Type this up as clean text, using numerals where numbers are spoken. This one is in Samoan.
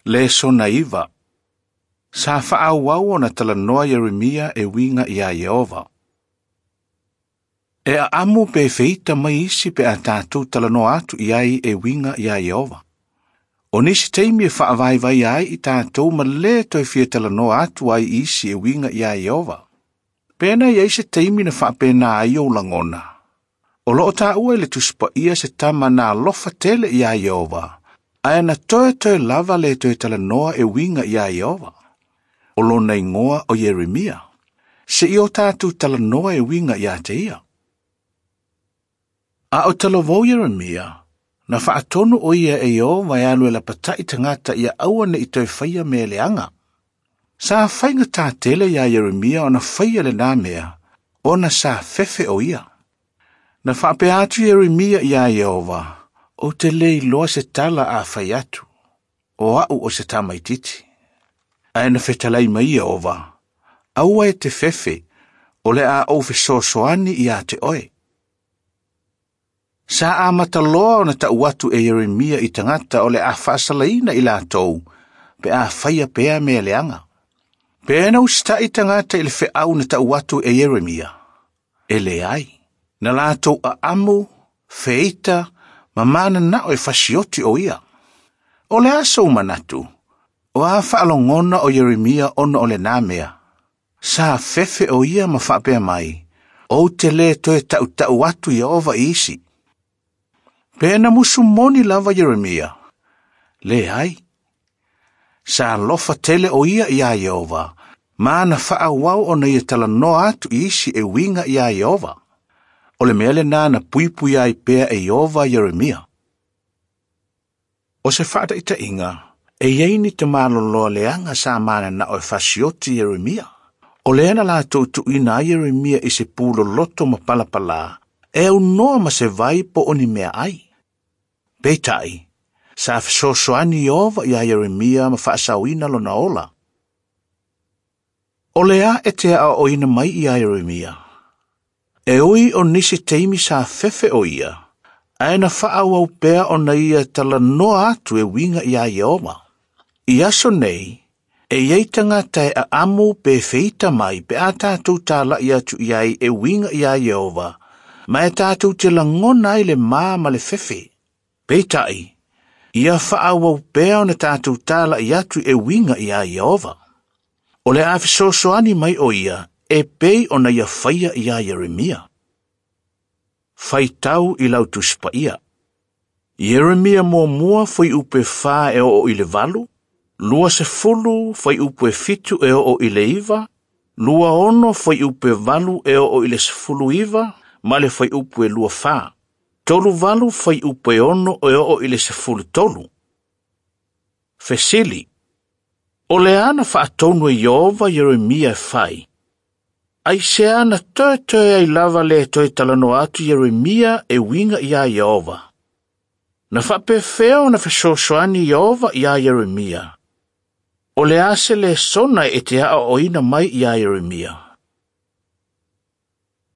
Lesona 9. Sa faaauau ona talanoa Ieremia e uiga iā Ieova. E aamu pe feita mai isi pe a tatou talanoa atu i ai e uiga iā Ieova. O nisi taimi e faavaivai ai i tatou ma lē toe fia talanoa atu ai i isi e uiga iā Ieova. Pe na i ai se taimi na faapena ai ou lagona. O loo taua i le Tusi Paia se tama na alofa tele iā Ieova, ae na toetoe lava le toe talanoa e uiga iā Ieova. O lona igoa o Ieremia. Seia o tatou talanoa e uiga iā te ia. A o talavou Ieremia, na faatonu o ia e Ieova e alu e lapatai tagata ia aua ne i toe faia mea leaga. Sa faigatā tele iā Ieremia ona faia lenā mea, ona sa fefe o ia. Na faapea atu Ieremia iā Ieova, ou te le iloa se tala a fai atu, o au o se tamaititi. Ae na fetalai mai Ieova, aua e te fefe, o le a ou fesoasoani iā te oe. Sa amata loa ona tau atu e Ieremia i tagata o le a faasalaina i latou, pe a faia pea mea leaga. Pe na usitai tagata i le feau na tau atu e Ieremia. E leai, na latou aamu, feita, ma mananao e fasioti o ia. O le a sou manatu, o a faalogona o Ieremia ona o lenā mea. Sa fefe o ia ma faapea mai, ou te le toe tautau atu Ieova i isi. Pe na musumoni lava Ieremia. Leai. Sa alofa tele o ia iā Ieova, ma na faaauau ona ia talanoa atu i isi e uiga iā Ieova. O le mea lenā na puipui ai pea e Ieova Ieremia. O se faataitaiga, e i ai ni tamaloloa leaga sa mananao e fasioti Ieremia. O lea na latou tuuina ai Ieremia i se pu loloto ma palapalā, e aunoa ma se vai po o ni meaai. Peitai, sa fesoasoani Ieova iā Ieremia ma faasaoina lona ola. O le a e te aoaoina mai iā Ieremia. E ui o nisi taimi sa fefe o ia, ae na faaauau pea ona ia talanoa atu e uiga iā Ieova. I aso nei, e i ai tagata e aamu pe feita mai pe a tatou talai atu i ai e uiga iā Ieova, ma e tatou te lagona ai le ma ma le fefe. Peitai, ia faaauau pea ona tatou talai atu e uiga iā Ieova. O le a fesoasoani mai o ia, e pei ona ia faia iā Ieremia. Faitau i lau Tusi Paia. Ieremia 1 fuaiupu 4 e oo i le 8, 20 fuaiupu 7 e oo i le 9, 26 fuaiupu 8 e oo i le 19, ma le fuaiupu 24. 38 fuaiupu 6 e oo i le 13. Fesili. O le a na faatonu e Ieova Ieremia e fai? Aisea na toetoe ai lava le toe talanoa atu Ieremia e uiga iā Ieova. Na faapefea ona fesoasoani Ieova iā Ieremia. O le a se lesona e te aoaoina mai iā Ieremia.